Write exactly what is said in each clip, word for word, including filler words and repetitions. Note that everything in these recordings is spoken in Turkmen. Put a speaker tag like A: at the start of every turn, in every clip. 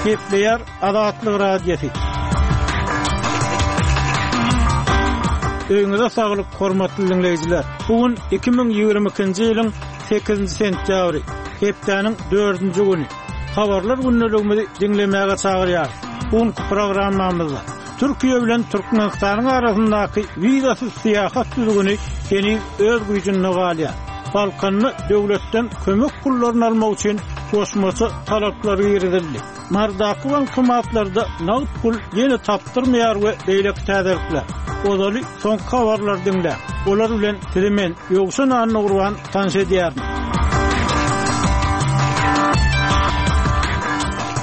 A: Gepleýär Azatlyk Radiosy. Öýüňize saglyk, hormatly dinleýjiler. Bu gün iki müň ýigrimi ikinji ýylyň sekizinji sentýabry, hepdäniň dördünji güni. Habarlar gündeligimizi diňlemäge çagyrýarys. Bu günki programmamyzda Türkiýe bilen Türkmenistanyň arasyndaky wizasyz syýahat düzgüni heniz öz güýjünde galýar. Balkanda döwletden kömek pullaryny almak üçin goşmaça talaplar girizildi. Marydaky bankomatlarda nagt pul ýene tapdyrmaýar we beýleki täzelikler. Ozaly soňky habarlary diňläň. Olar bilen sizi men, Ýowşan Annagurban tanyş edýärin.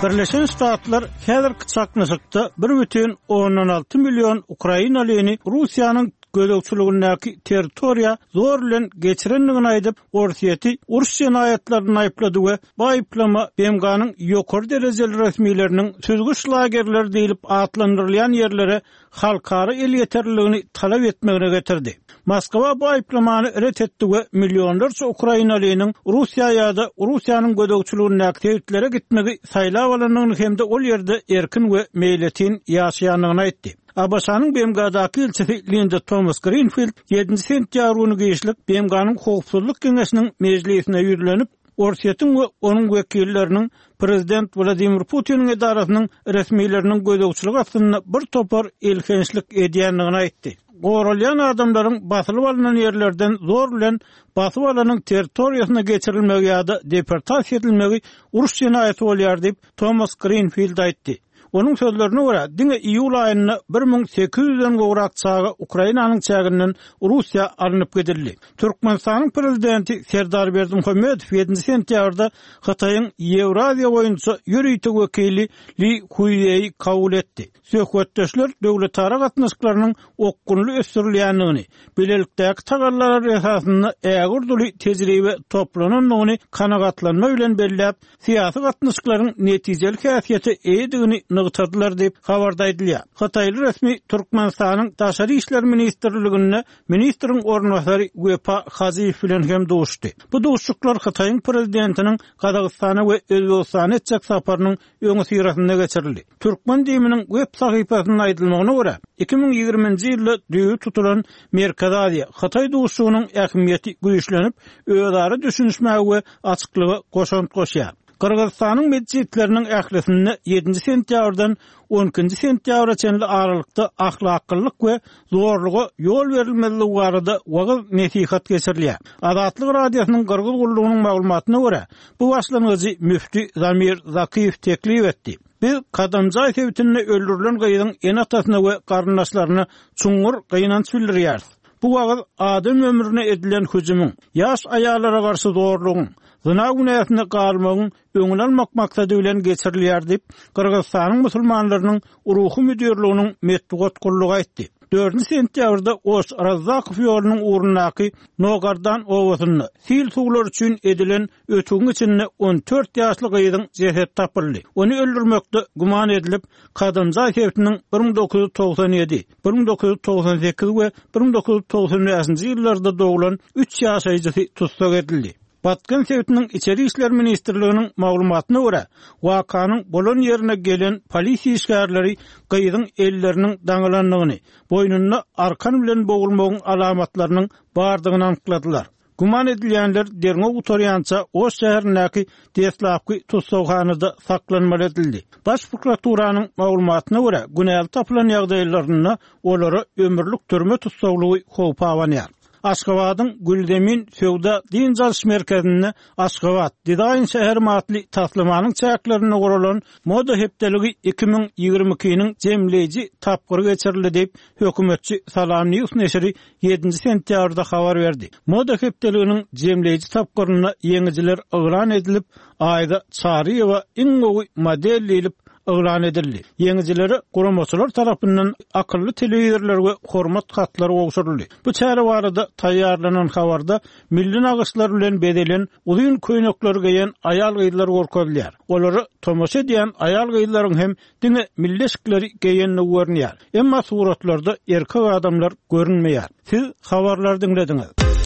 A: Birleşen Ştatlar häzirki çaknyşykda bir bütin ondan alty million ukrainalyny Russiýanyň gözegçiligindäki territoriýa zor bilen geçirendigini aýdyp, Orsýeti uruş jenaýatlaryny aýyplady we bu aýyplama B M G-nyň ýokary derejeli resmileriniň süzgüç lagerleri diýlip atlandyrylýan ýerlere halkara elýeterliligini talap etmegine getirdi. Moskwa bu aýyplamany ret etdi we millionlarça ukrainalynyň Russiýa ýa-da Russiýanyň gözegçiligindäki sebitlere gitmegi saýlap alandygyny hem-de ol ýerde erkin we meýletin ýaşaýandygyny aýtdy. A B Ş-nyň B M G-daky ilçisi Linda Thomas Greenfield ýedinji sentýabr güni giçlik B M G-nyň Howpsuzlyk Geňeşiniň mejlisine ýüzlenip, Orsýetiň we onuň wekilleriniň Prezident Wladimir Putiniň edarasynyň resmileriniň gözegçilik astynda bir topar elhençlik edýändigini aýtdy. Goralýan adamlaryň basylyp alynan ýerlerden zor bilen basyp alanyň territoriýasyna geçirilmegi ýa-da deportasiýa edilmegi uruş jenaýaty bolýar diýip Thomas Greenfield aýtdy. Onuň sözlerine görä, diňe iýul aýynda bir müň sekiz ýüzden gowrak çaga Ukrainanyň çäginden Russiýa alnyp gidildi. Türkmenistanyň prezidenti Serdar Berdimuhamedow ýedinji sentýabrda Hytaýyň Ýewraziýa boýunça ýörite wekili Li Huýeýi kabul etdi. Söhbetdeşler döwletara gatnaşyklarynyň okgunly ösdürilýändigini, bilelikdäki tagallalar esasynda ägirduly tejribe toplanandygyny kanagatlanma bilen belläp, syýasy gatnaşyklaryň netijeli häsiýete eýedigini nygtadylar diýip habarda aýdylýar. Hytaýly resmi Türkmenistanyň Daşary işler ministrliginde ministriň orunbasary Wepa Haziýew bilen hem duşdy. Bu duşuşyklar Hytaýyň prezidentiniň Gazagystana we Özbegistana etjek saparynyň öňi syrasynda geçirildi. Türkmen diýiminiň web sahypasynda aýdylmagyna görä, iki müň ýigriminji ýylda düýbi tutulan Merkezi Aziýa Hytaý duşuşygynyň ähmiýeti güýçlenip, özara düşünişmäge we açyklyga goşant goşýar. Gyrgyzystanyň metjitleriniň ählisinde ýedinji sentýabrdan on ikinji sentýabra çenli aralykda ahlaklylyk we zorluga ýol berilmezligi barada wagyz nesihat geçirilýär. Azatlyk Radiosynyň Gyrgyz gullugynyň maglumatyna görä, bu başlangyjy müfti Zamir Zakiýew teklip etdi. Biz Kadamjaý sebitinde öldürilen gyzyň ene-atasyna we garyndaşlaryna çuňňur gynanç bildirýäris. Bu wagyz adam ömrüne edilen hüjümiň, ýaş aýallara garşy zorlugyň, zyna günäsine galmagyň öňüni almak maksady bilen geçirilýär diýip, Gyrgyzystanyň musulmanlarynyň ruhy müdirliginiň metbugat gullugy aýtdy. Dördünji sentýabrda Oş Razzakow ýolunyň ugrundaky Nogardan obasynda sil suwlar üçin edilen ötügiň içinde on dört ýaşly gyzyň jesedi tapyldy. Ony öldürmekde güman edilip, Kadamjaý sebitiniň bir müň dokuz ýüz togsan ýedi, bir müň dokuz ýüz togsan sekiz we bir müň dokuz ýüz togsan bäşinji ýyllarda doglan üç ýaşaýjysy tussag edildi. Batken sebitiniň İçeri İşler Ministrliginiň maglumatyna görä, wakanyň bolan ýerine gelen polisiýa işgärleri gyzyň elleriniň daňylandygyny, boýnunda arkan bilen bogulmagyň alamatlarynyň bardygyny anykladylar. Güman edilýänler derňew gutarýança Oş şäherindäki deslapky tussaghanada saklanmaly edildi. Baş prokuraturanyň maglumatyna görä, günäli tapylan ýagdaýlarynda olara ömürlik türme tussaglygy howpa abanýar. Aşgabadyň Gülzemin Söwda Dynç alyş merkezinde Aşgabat Dizaýn şäheri atly taslamanyň çäklerinde guralan moda hepdeligi iki müň ýigrimi ikiniň jemleýji tapgyry geçirildi diýip, hökümetçi Salam News neşiri ýedinji sentýabrda habar berdi. Moda hepdeliginiň jemleýji tapgyrynda ýeňijiler yglan edilip, Aýda Çaryýewa iň gowy model diýlip yglan edildi. Ýeňijilere guramaçylar tarapyndan akylly telewizorlar we hormat hatlary gowşuryldy. Bu çäre barada taýýarlanan habarda milli nagyşlar bilen bezelen uzyn köýnekler geýen aýal-gyzlar görkezilýär. Olara tomaşa edýän aýal-gyzlaryň hem diňe milli eşikleri geýenligi görünýär. Emma suratlarda erkek adamlar görünmeýär. Siz habarlary diňlediňiz.